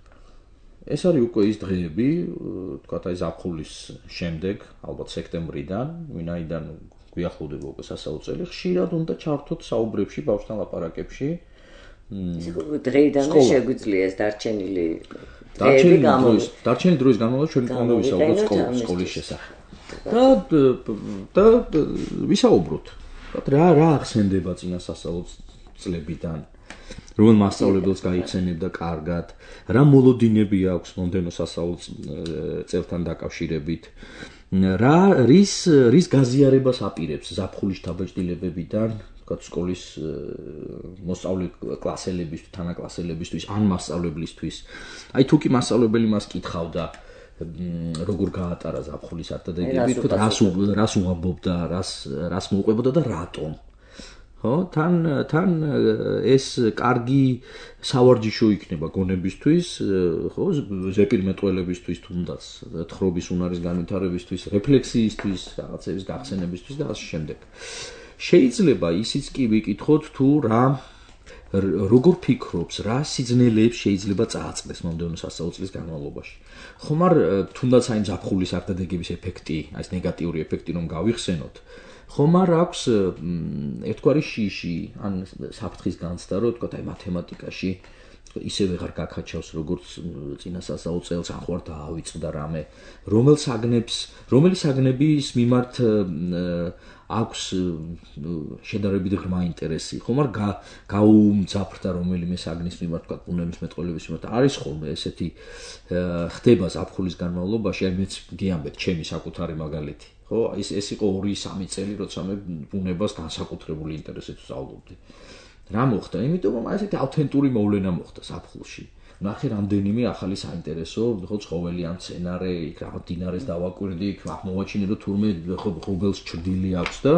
ეს არის უკვე ის დღეები, თქვათ აი ზაფხულის შემდეგ, ალბათ სექტემბრიდან, ვინაიდან გვიახლოვდება უკვე სასწავლო წელი, ხშირად უნდა ჩართოთ საუბრებში, ბავშვთან ლაპარაკებში. დღეიდანვე შეგვიძლია ეს დარჩენილი დროის განმავლობაში ჩვენ უნდა ვისაუბროთ სკოლის შესახებ. და ვისაუბროთ. რა ახსენდება წინა სასწავლო წლებიდან, რომელ მასწავლებელს გაიხსენებდა კარგად, რა მოლოდინები აქვს მომდევნო სასწავლო წელთან დაკავშირებით, რის გაზიარებას აპირებს ზაფხულის დაბეჭდილებებიდან, თქვათ სკოლის მოსწავლე კლასელებისთვის, თანაკლასელებისთვის, ან მასწავლებლისთვის. აი თუ კი მასწავლებელი მას კითხავდა, როგორ გაატარა ზაფხულის არტადაგები, თქვათ რას უამბობდა, რას მოუყვებოდა და რატომ. ხო, თან ეს კარგი სავარჯიშო იქნება გონებისთვის, ხო, ზეპირმეტყველებისთვის, თუნდაც თხრობის უნარის განვითარებისთვის, რეფლექსიისთვის, რაღაცების გახსენებისთვის და ასე შემდეგ. შეიძლება ისიც კი ვიკითხოთ თუ როგორ ფიქრობს, რა სიძნელეებს შეიძლება წააწყდეს მომდევნო სასწავლო წლის განმავლობაში. ხომ არ თუნდაც აი ზაფხულის არტადაგების ეფექტი, აი ეს ნეგატიური ეფექტი რომ გავიხსენოთ, ხომ არ აქვს ერთგვარი შიში, ან საფრთხის განცდა, რომ თქვა აი მათემატიკაში ისე ვეღარ გაკაჩავს როგორც წინა სასწავლო წელს, ახლა დაავიწყდა რამე, რომელი საგნების მიმართ აქვს შედარებით ღრმა ინტერესი, ხომ არ გაუმძაფრდა რომელიმე საგნის მიმართ, თქვა ბუნების მეტყველების მიმართ, არის ხოლმე ესეთი ხდება ზაფხულის განმავლობაში, აი მეც გიამბეთ ჩემი საკუთარი მაგალითი. ხო, ეს იყო 2-3 წელი, როცა მე ბუნებას განსაკუთრებული ინტერესით ვსწავლობდი. რა მოხდა? იმიტომ რომ ესეთი ავთენტური მოვლენა მოხდა ზაფხულში. ნახე რამდენიმე ახალი საინტერესო, ხო, ცხოველი ან მცენარე, იქ რა მდინარეს დავაკვირდი, იქ აღმოვაჩინე რომ თურმე ღობელს ჭრდილი აქვს და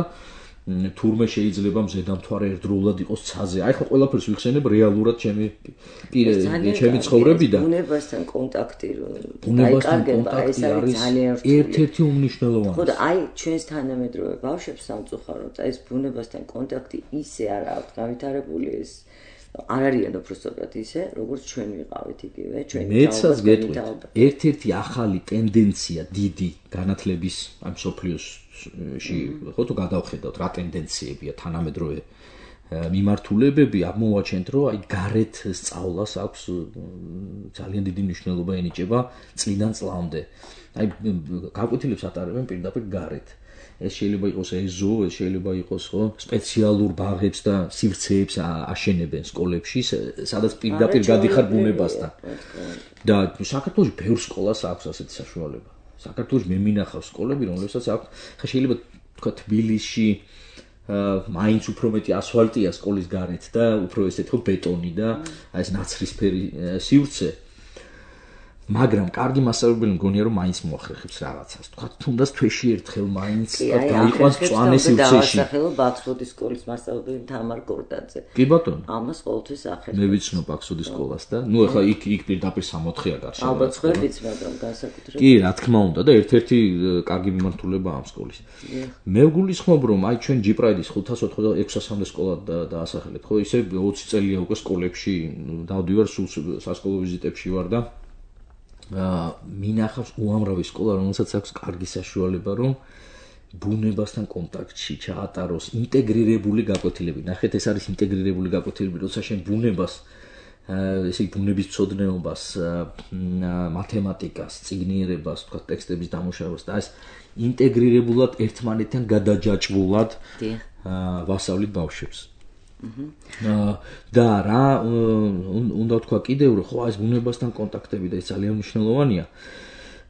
თურმე შეიძლება მზედამთვარე ერთდროულად იყოს ცაზე. აი ხო ყველაფერს ვიხსენებ რეალურად ჩემი ცხოვრებიდან. ბუნებასთან კონტაქტი ბუნებასთან კონტაქტი არის ერთ-ერთი უმნიშვნელოვანესი. ხო და აი ჩვენს თანამედროვე ბავშვებს სამწუხაროდ ეს ბუნებასთან კონტაქტი ისე არ აქვს განვითარებული ეს არ არიან უბრალოდ ისე, როგორც ჩვენ ვიყავით იგივე, ჩვენი მეცაც გეტყვით. ერთ-ერთი ახალი ტენდენცია დიდი განათლების ამ სოფლიოში, ხო თუ გადავხედავთ რა ტენდენციებია თანამედროვე მიმართულებები, აღმოვაჩენთ, რომ აი გარეთ სწავლას აქვს ძალიან დიდი მნიშვნელობა ენიჭება წლიდან წლამდე. აი გაკვეთილებს ატარებენ პირდაპირ გარეთ. ეს შეიძლება იყოს ეზო, ეს შეიძლება იყოს ხო სპეციალურ ბაღებს და სივრცეებს აშენებენ სკოლებში, სადაც პირდაპირ გადიხარ ბუნებასთან. და საქართველოში ბევრ სკოლას აქვს ასეთი საშუალება. საქართველოში მე მინახავს სკოლები, რომლებსაც აქვს, ხა შეიძლება თქვა თბილისში მაინც უფრო მეტი ასფალტია სკოლის გარეთ და უფრო ესეთ ხო ბეტონი და აი ეს ნაცრისფერი სივრცე. მაგრამ კარგი მასწავლებელი მგონია რომ მაინც მოახერხებს რაღაცას. თქვა თუნდაც თვეში ერთხელ მაინც გაიყვანს წვანე სივრცეში. ახლა ბაქსოდის სკოლის მასწავლებელი თამარ გორდაძე. კი ბატონო. ამას ყოველთვის ახერხებს. მე ვიცნობ ბაქსოდის სკოლას და ნუ ახლა იქ პირდაპირ 64-ია გარშემო. ალბათ ხვდებით, მაგრამ განსაკუთრებით. კი, რა თქმა უნდა და ერთ-ერთი კარგი მიმართულებაა ამ სკოლის. მე ვგულისხმობ რომ აი ჩვენ ჯიპრაიდის 586-მდე სკოლა დაასახელეთ, ხო? ისე 20 წელია უკვე სკოლებში დავდივარ სულ სასკოლო ვიზიტებში ვარ და მინახავს უამრავი სკოლა, რომელსაც აქვს კარგი საშუალება რომ ბუნებასთან კონტაქტში ჩაატაროს ინტეგრირებული გაკვეთილები. ნახეთ, ეს არის ინტეგრირებული გაკვეთილები, როცა შენ ბუნებას, ესე იგი ბუნების მცოდნეობას, მათემატიკას, წიგნიერებას, თქვა ტექსტების დამუშავებას და ეს ინტეგრირებულად ერთმანეთთან გადაჯაჭვულად ვასწავლით ბავშვებს. და რა უნდა თქვა კიდევ რომ ხო ეს ბუნებასთან კონტაქტები და ეს ძალიან მნიშვნელოვანია.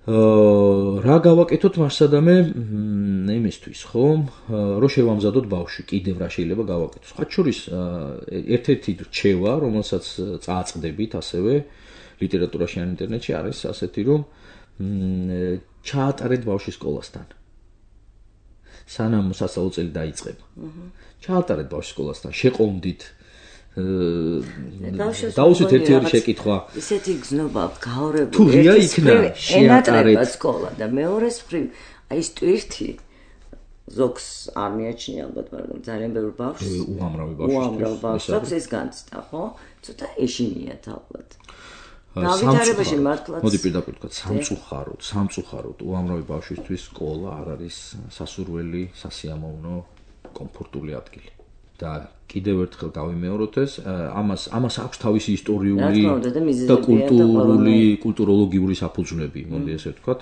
რა გავაკეთოთ მასადამე იმისთვის, ხო? რომ შევამზადოთ ბავშვი, კიდევ რა შეიძლება გავაკეთოთ. სხვა შორის ერთ-ერთი რჩევა, რომელსაც წააწყდებით ასევე ლიტერატურაში ან ინტერნეტში არის ასეთი რომ ჩაატარეთ ბავშვი სკოლასთან. სანამ სასწავლო წელი დაიწყება. ჩაატარეთ ბავშვი სკოლასთან, შეყომდით დაუსვით ერთ-ერთი შეკითხვა. ისეთი გზნობა გაორებული. თუ ღია იქნა შეატარეთ სკოლა და მეორეს მხრივ აი ეს ტვირთი ზოგს არ მიაჩნია ალბათ, მაგრამ ძალიან ბევრი ბავშვს უამრავი ბავშვს ეს განცდა, ხო? ცოტა ეშინიათ ალბათ. დავითარებაში მართლაც მოდი პირდაპირ თქვა სამწუხაროდ უამრავი ბავშვისთვის სკოლა არ არის სასურველი, სასიამოვნო, კომფორტული ადგილი. და კიდევ ერთხელ გავიმეოროთ ეს, ამას აქვს თავისი ისტორიული და კულტუროლოგიური საფუძვლები, მოდი ესე ვთქვათ.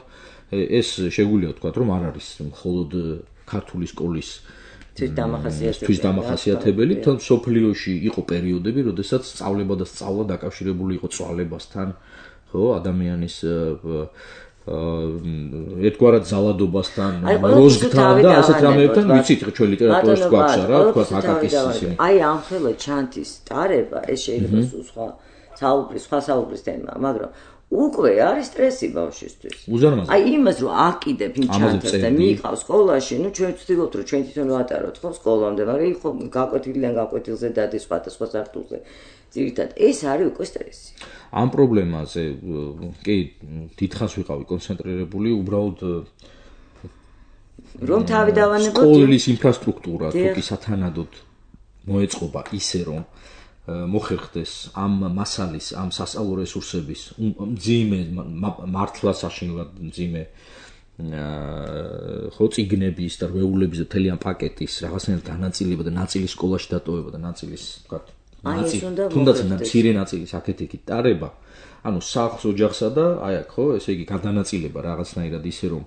ეს შეგვიძლია ვთქვათ, რომ არ არის მხოლოდ ქართული სკოლის თვითდამახასიათებელი, თან სოფლიოში იყო პერიოდები, როდესაც სწავლება და სწავლა დაკავშირებული იყო წვალებასთან, ხო, ადამიანის ერთგვარად ზალადობასთან, როზგთან და ასეთ რამეებთან, ვიცით, ჩვენ ლიტერატურაში გვაქვს რა, თქვათ აკაკის ისინი. აი ამ ხელა ჩანთის ტარება, ეს შეიძლება სხვა საუბრის თემაა, მაგრამ უკვე არის სტრესი ბავშვისთვის. უზარმაზარი. აი იმას რომ აკიდებ იმ ჩანთას და მიიყავს სკოლაში, ნუ ჩვენ ვცდილობთ რომ ჩვენ თვითონ ვატაროთ ხო სკოლამდე, მაგრამ იყო გაკვეთილიდან გაკვეთილზე დადის სხვადასხვა სართულზე. ძირითადად ეს არის უკვე სტრესი. ამ პრობლემაზე კი დიდხანს ვიყავი კონცენტრირებული, უბრალოდ რომ თავი დავანებოთ სკოლის ინფრასტრუქტურა თუკი სათანადოდ მოეწყობა ისე რომ მოხერხდეს ამ მასალის, ამ სასწავლო რესურსების მძიმე მართლა საშინლად მძიმე ხო წიგნების და რვეულების და მთელი ამ პაკეტის რაღაცნაირად განაწილება და ნაწილი სკოლაში დატოვება და ნაწილის თქვა თუნდაც მცირე ნაწილის აქეთ-იქით ტარება, ანუ სახლს ოჯახსა და აი აქ ხო, ესე იგი გადანაწილება რაღაცნაირად ისე რომ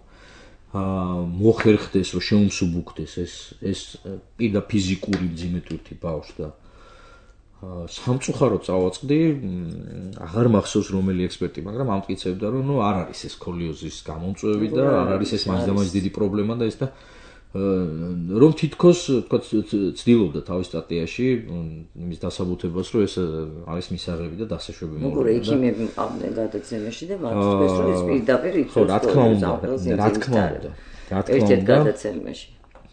მოხერხდეს, რომ შეუმსუბუქდეს ეს პირდა ფიზიკური მძიმე თვირთი ბავშვს და სამწუხაროდ წავაწყდი, აღარ მახსოვს რომელი ექსპერტი, მაგრამ ამტკიცებდა რომ ნუ არ არის ეს სკოლიოზის გამომწვევი და არ არის ეს მაინც დიდი პრობლემა და ეს და რომ თითქოს თქვა ცდილობდა თავის სტატიაში იმის დასაბუთებას რომ ეს არის მისაღები და დასაშვები მოუწოდა. უყურე ექიმები მყავდნენ გადაცემაში და მართლაც რომ ეს პირდაპირ იწვევს. ხო, რა თქმა უნდა. ერთ-ერთ გადაცემაში.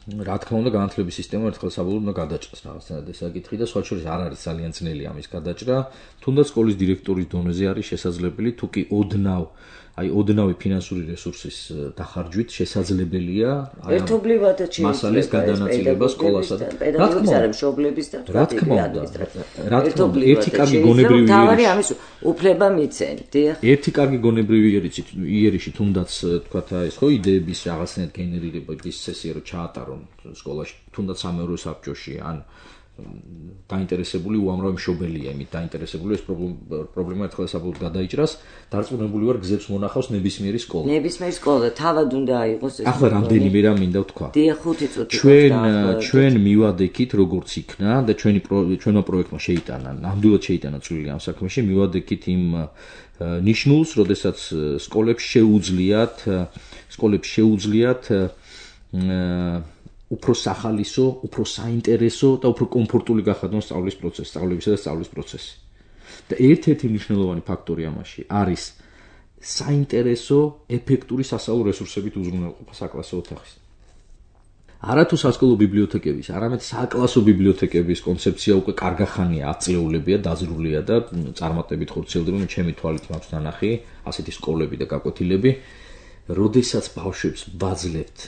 რა თქმა უნდა განათლების სისტემა ერთხელ საბოლოოდ უნდა გადაჭრას რაღაცნაირად ეს საკითხი და სხვა შორის არ არის ძალიან ძნელი ამის გადაჭრა, თუნდაც სკოლის დირექტორის დონეზე არის შესაძლებელი, თუკი ოდნავი ფინანსური რესურსის დახარჯვით შესაძლებელია ერთობლივად მასალის გადანაწილება სკოლასა და პედაგოგების არა მშობლების და რა თქმა უნდა ერთი კარგი გონებრივი თავარი ამის უფლება მიცენ, დიახ. ერთი კარგი გონებრივი იერიში თუნდაც თქვათ ეს ხო იდეების რაღაცნაირად გენერირების წესია რომ ჩაატარონ სკოლაში, თუნდაც სამეურვე საბჭოში ან დაინტერესებული უამრავი მშობელია იმით დაინტერესებული ეს პრობლემა ერთხელ საბოლოოდ გადაიჭრას, დარწმუნებული ვარ გზებს მონახავს ნებისმიერი სკოლა. ნებისმიერი სკოლა თავად უნდა აიღოს ეს. ახლა რამდენიმე რამ მინდა ვთქვა. დიახ, 5 წუთი. ჩვენ მივადექით როგორც იქნა და ჩვენმა პროექტმა შეიტანა, ნამდვილად შეიტანა წვლილი ამ საქმეში, მივადექით იმ ნიშნულს, როდესაც სკოლებს შეუძლიათ უფრო სახალისო, უფრო საინტერესო და უფრო კომფორტული გახადონ სწავლებისა და სწავლის პროცესი. და ერთ-ერთი მნიშვნელოვანი ფაქტორი ამაში არის საინტერესო, ეფექტური სასწავლო რესურსებით უზრუნველყოფა საკლასო ოთახის. არათუ სასკოლო ბიბლიოთეკების, არამედ საკლასო ბიბლიოთეკების კონცეფცია უკვე კარგახანია, 10 წლეულებია, დაძრულია და წარმატებით ხორციელდება, ჩემი თვალით მაქვს ნანახი, ასეთი სკოლები და გაკვეთილები, როდესაც ბავშვებს ვაძლევთ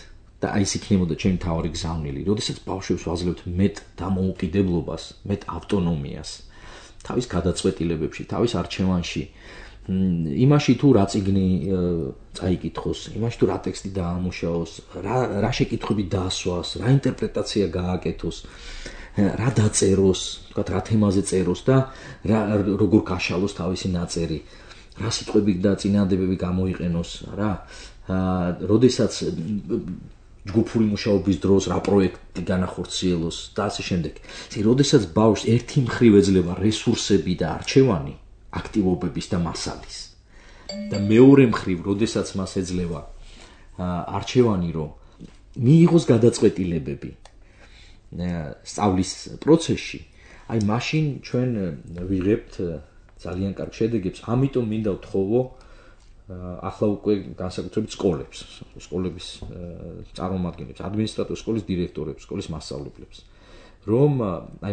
და აი ეს იქნებოდა ჩემი თავი გზავნილი, როდესაც ბავშვებს ვაძლევთ მეტ დამოუკიდებლობას, მეტ ავტონომიას, თავის გადაწყვეტილებებში, თავის არჩევანში, იმაში თუ რა წიგნი წაიკითხოს, იმაში თუ რა ტექსტი დაამუშავოს, რა შეკითხვები დაასვას, რა ინტერპრეტაცია გააკეთოს, რა დაწეროს, თქვათ რა თემაზე წეროს და როგორ გაშალოს თავისი ნაწერი, რა სიტყვები და წინადადებები გამოიყენოს, რა, როდესაც ჯგუფური მუშაობის დროს რა პროექტი განახორციელოს და ასე შემდეგ. როდესაც ბავშვს ერთი მხრივ ეძლევა რესურსები და არჩევანი აქტივობების და მასალის და მეორე მხრივ, როდესაც მას ეძლევა არჩევანი, რომ მიიღოს გადაწყვეტილებები სწავლის პროცესში, აი მაშინ ჩვენ ვიღებთ ძალიან კარგ შედეგებს. ამიტომ მინდა ვთხოვო ახლა უკვე განსაკუთრებით სკოლების წარმომადგენლებს, ადმინისტრატორებს, სკოლის დირექტორებს, სკოლის მასწავლებლებს, რომ აი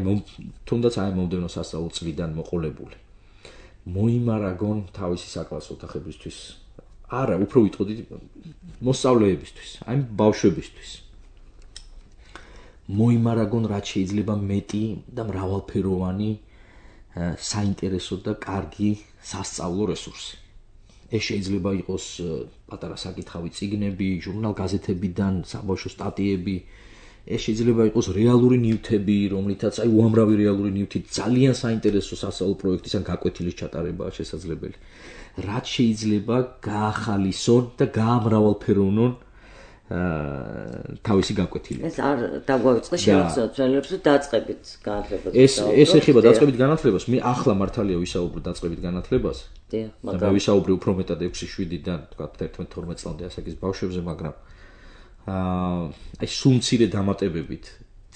თუნდაც აი მომდევნო სასწავლო წლიდან მოყოლებული მოიმარაგონ თავისი საკლასო ოთახებისთვის. არა, უფრო ვიტყოდით მოსწავლეებისთვის, აი ბავშვებისთვის. მოიმარაგონ რაც შეიძლება მეტი და მრავალფეროვანი საინტერესო და კარგი სასწავლო რესურსი. ეს შეიძლება იყოს პატარა საკითხავი წიგნები, ჟურნალ-გაზეთებიდან, საბავშვო სტატიები, ეს შეიძლება იყოს რეალური ნივთები, რომლითაც აი უამრავი რეალური ნივთი ძალიან საინტერესო სასწავლო პროექტის ან გაკვეთილის ჩატარებაა შესაძლებელი. რაც შეიძლება გაახალისონ და გაამრავალფეროვნონ თავისი გაკვეთილი. ეს არ დაგვაიწყე შევახსენოთ ძველებს, რომ დაწყებით განათლებას. ეს ეხება დაწყებით განათლებას. მე ახლა მართალია ვისაუბრებ დაწყებით განათლებას. და ვისაუბრე უფრო მეტად 6-7-დან, თქვა 11-12 წლამდე ასაკის ბავშვებზე, მაგრამ აი სულ მცირე დამატებებით,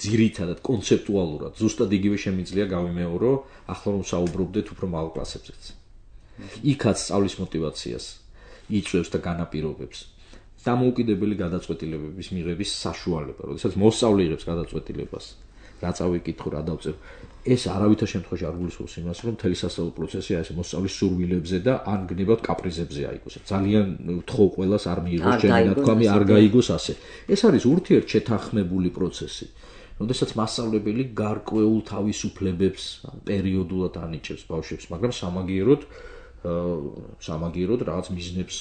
ძირითადად კონცეპტუალურად, ზუსტად იგივე შემიძლია გავიმეორო, ახლა რომ საუბრობდეთ უფრო მაღალ კლასებზეც. იქაც სწავლის мотиваციას იწვევს და განაპირობებს. დამოუკიდებელი გადაწყვეტილებების მიღების საშუალება, როდესაც მოსწავლე იღებს გადაწყვეტილებას, რა წავიკითხო, რა დავწერო. ეს არავითარ შემთხვევაში არ გულისხმობს იმას, რომ მთელი სასწავლო პროცესი აი ეს მოსწავლის სურვილებზე და ან გნებავთ კაპრიზებზე აიგოს. ძალიან ვთხოვ ყველას არ მიიღოს ჩემი ნათქვამი, არ გაიგოს ასე. ეს არის ურთიერთშეთანხმებული პროცესი. როდესაც მასწავლებელი გარკვეულ თავისუფლებებს პერიოდულად ანიჭებს ბავშვებს, მაგრამ სამაგიეროდ რაღაც მიზნებს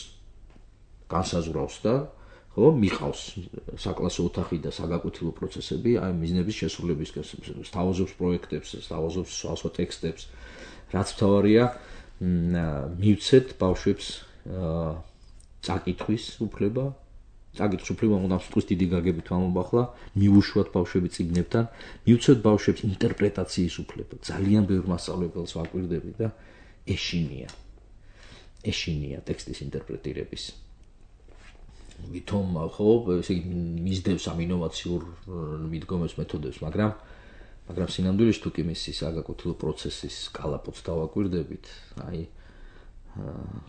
განსაზღვრავს და ხო, მიყავს საკლასო ოთახი და საგაკვეთილო პროცესები, აი მიზნების შესრულებისკენ, სთავაზობს პროექტებს, სთავაზობს სხვადასხვა ტექსტებს, რაც მთავარია, მივცეთ ბავშვებს წაკითხვის უფლება, უნდა თქვის დიდი გაგებით ვამბობ ახლა, მიუშვათ ბავშვები წიგნებთან, მივცეთ ბავშვებს ინტერპრეტაციის უფლება, ძალიან ბევრ მასწავლებელს ვაკვირდები და ეშინია ტექსტის ინტერპრეტირების. ვითომ ხო, ესე იგი მისდევს ამ ინოვაციურ მიდგომებს, მეთოდებს, მაგრამ სინამდვილეში თუ კი მისი საგაკვეთილო პროცესის კალაპოტს დავაკვირდებით, აი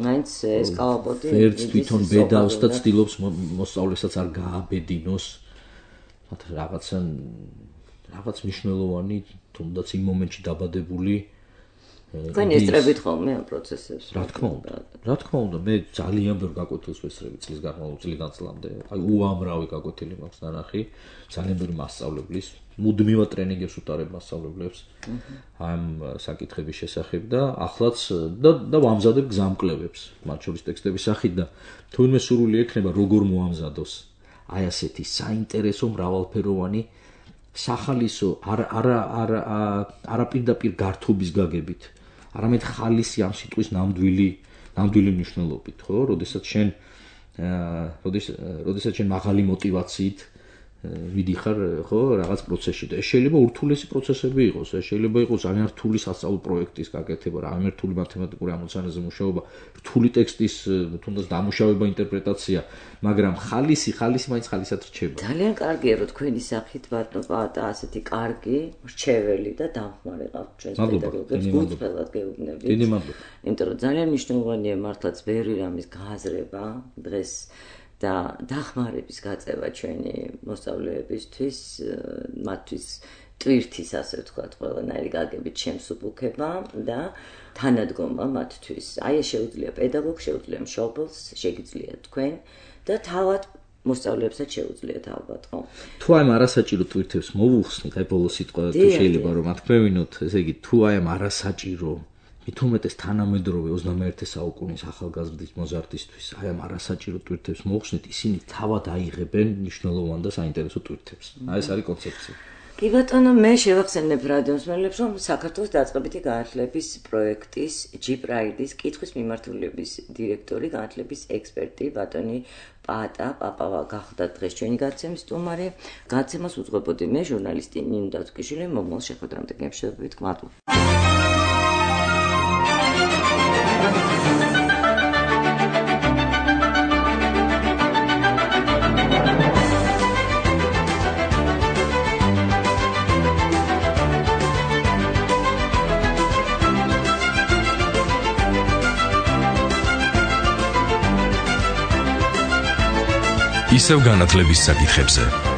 მაინც ეს კალაპოტი ვერც თვითონ ბედავს და ცდილობს მოსწავლესაც არ გააბედინოს რაღაც მნიშვნელოვანი, თუნდაც იმ მომენტში დაბადებული თქვენ ესწრებით ხოლმე ამ პროცესებს? რა თქმა უნდა, მე ძალიან ბევრ გაკვეთილს ვესწრები წლის განმავლობაში წლამდე. აი უამრავი გაკვეთილი მაქვს ნანახი, ძალიან ბევრი მასწავლებლის, მუდმივად ტრენინგებს უტარებ მასწავლებლებს ამ საკითხების შესახებ და ახლაც და ვამზადებ გზამკვლევებს, მათ შორის ტექსტების სახით და თუ ვინმე სურვილი ექნება როგორ მოამზადოს აი ასეთი საინტერესო მრავალფეროვანი სახალისო არა პირდაპირ გართობის გაგებით, არამედ ხალისი ამ სიტყვის ნამდვილი მნიშვნელობით, ხო? როდესაც შენ მაღალი мотиваციით მიდიხარ ხო რაღაც პროცესში და ეს შეიძლება ურთულესი პროცესები იყოს, ეს შეიძლება იყოს ძალიან რთული სასწავლო პროექტის გაკეთება, ძალიან რთული მათემატიკური ამოცანაზე მუშაობა, რთული ტექსტის თუნდაც დამუშავება, ინტერპრეტაცია, მაგრამ ხალისი მაინც ხალისად რჩება. ძალიან კარგია რომ თქვენი სახით ბატონო პაატა ასეთი კარგი, რჩეველი და დამხმარე ყავთ ჩვენს პედაგოგებს, გულწრფელად გეუბნებით. დიდი მადლობა. იმიტომ რომ ძალიან მნიშვნელოვანია მართლაც ბევრი რამის გააზრება დღეს და დახმარების გაწევა ჩვენი მოსწავლეებისთვის, მათთვის ტვირთის, ასე ვთქვათ, ყველანაირი გაგებით შემსუბუქება და თანადგომა მათთვის. აი ეს შეუძლია პედაგოგს, შეუძლია მშობელს, შეგიძლია თქვენ და თავად მოსწავლეებსაც შეუძლიათ ალბათ, ხო? თუ აი ამ არასაჭირო ტვირთებს მოვუხსნით, აი ბოლოს სიტყვა თუ შეიძლება რომ ათქვევინოთ, ესე იგი თუ აი ამ არასაჭირო მithumetes თანამედროვე 21 საუკუნის ახალგაზრდის მოზარდისთვის აი ამ არასაჭირო ტვირთებს მოხსნით, ისინი თავად აიღებენ მნიშვნელოვან და საინტერესო ტვირთებს. აი ეს არის კონცეფცია. კი ბატონო, მე შევახსენებ რადიოსმენელებს, რომ საქართველოს დაწყებითი განათლების პროექტის G-Pride-ის კითხვის მიმართულების დირექტორი, განათლების ექსპერტი ბატონი პაატა პაპავა გახდა დღეს ჩვენი გაცემის სტუმარი. გაცემას უძღვებოდი მე, ჟურნალისტი ნინო დათუკიშვილი, მომავალ შეხვედრამდე გემშვიდობით, მადლობა. ისევ განათლების საკითხებზე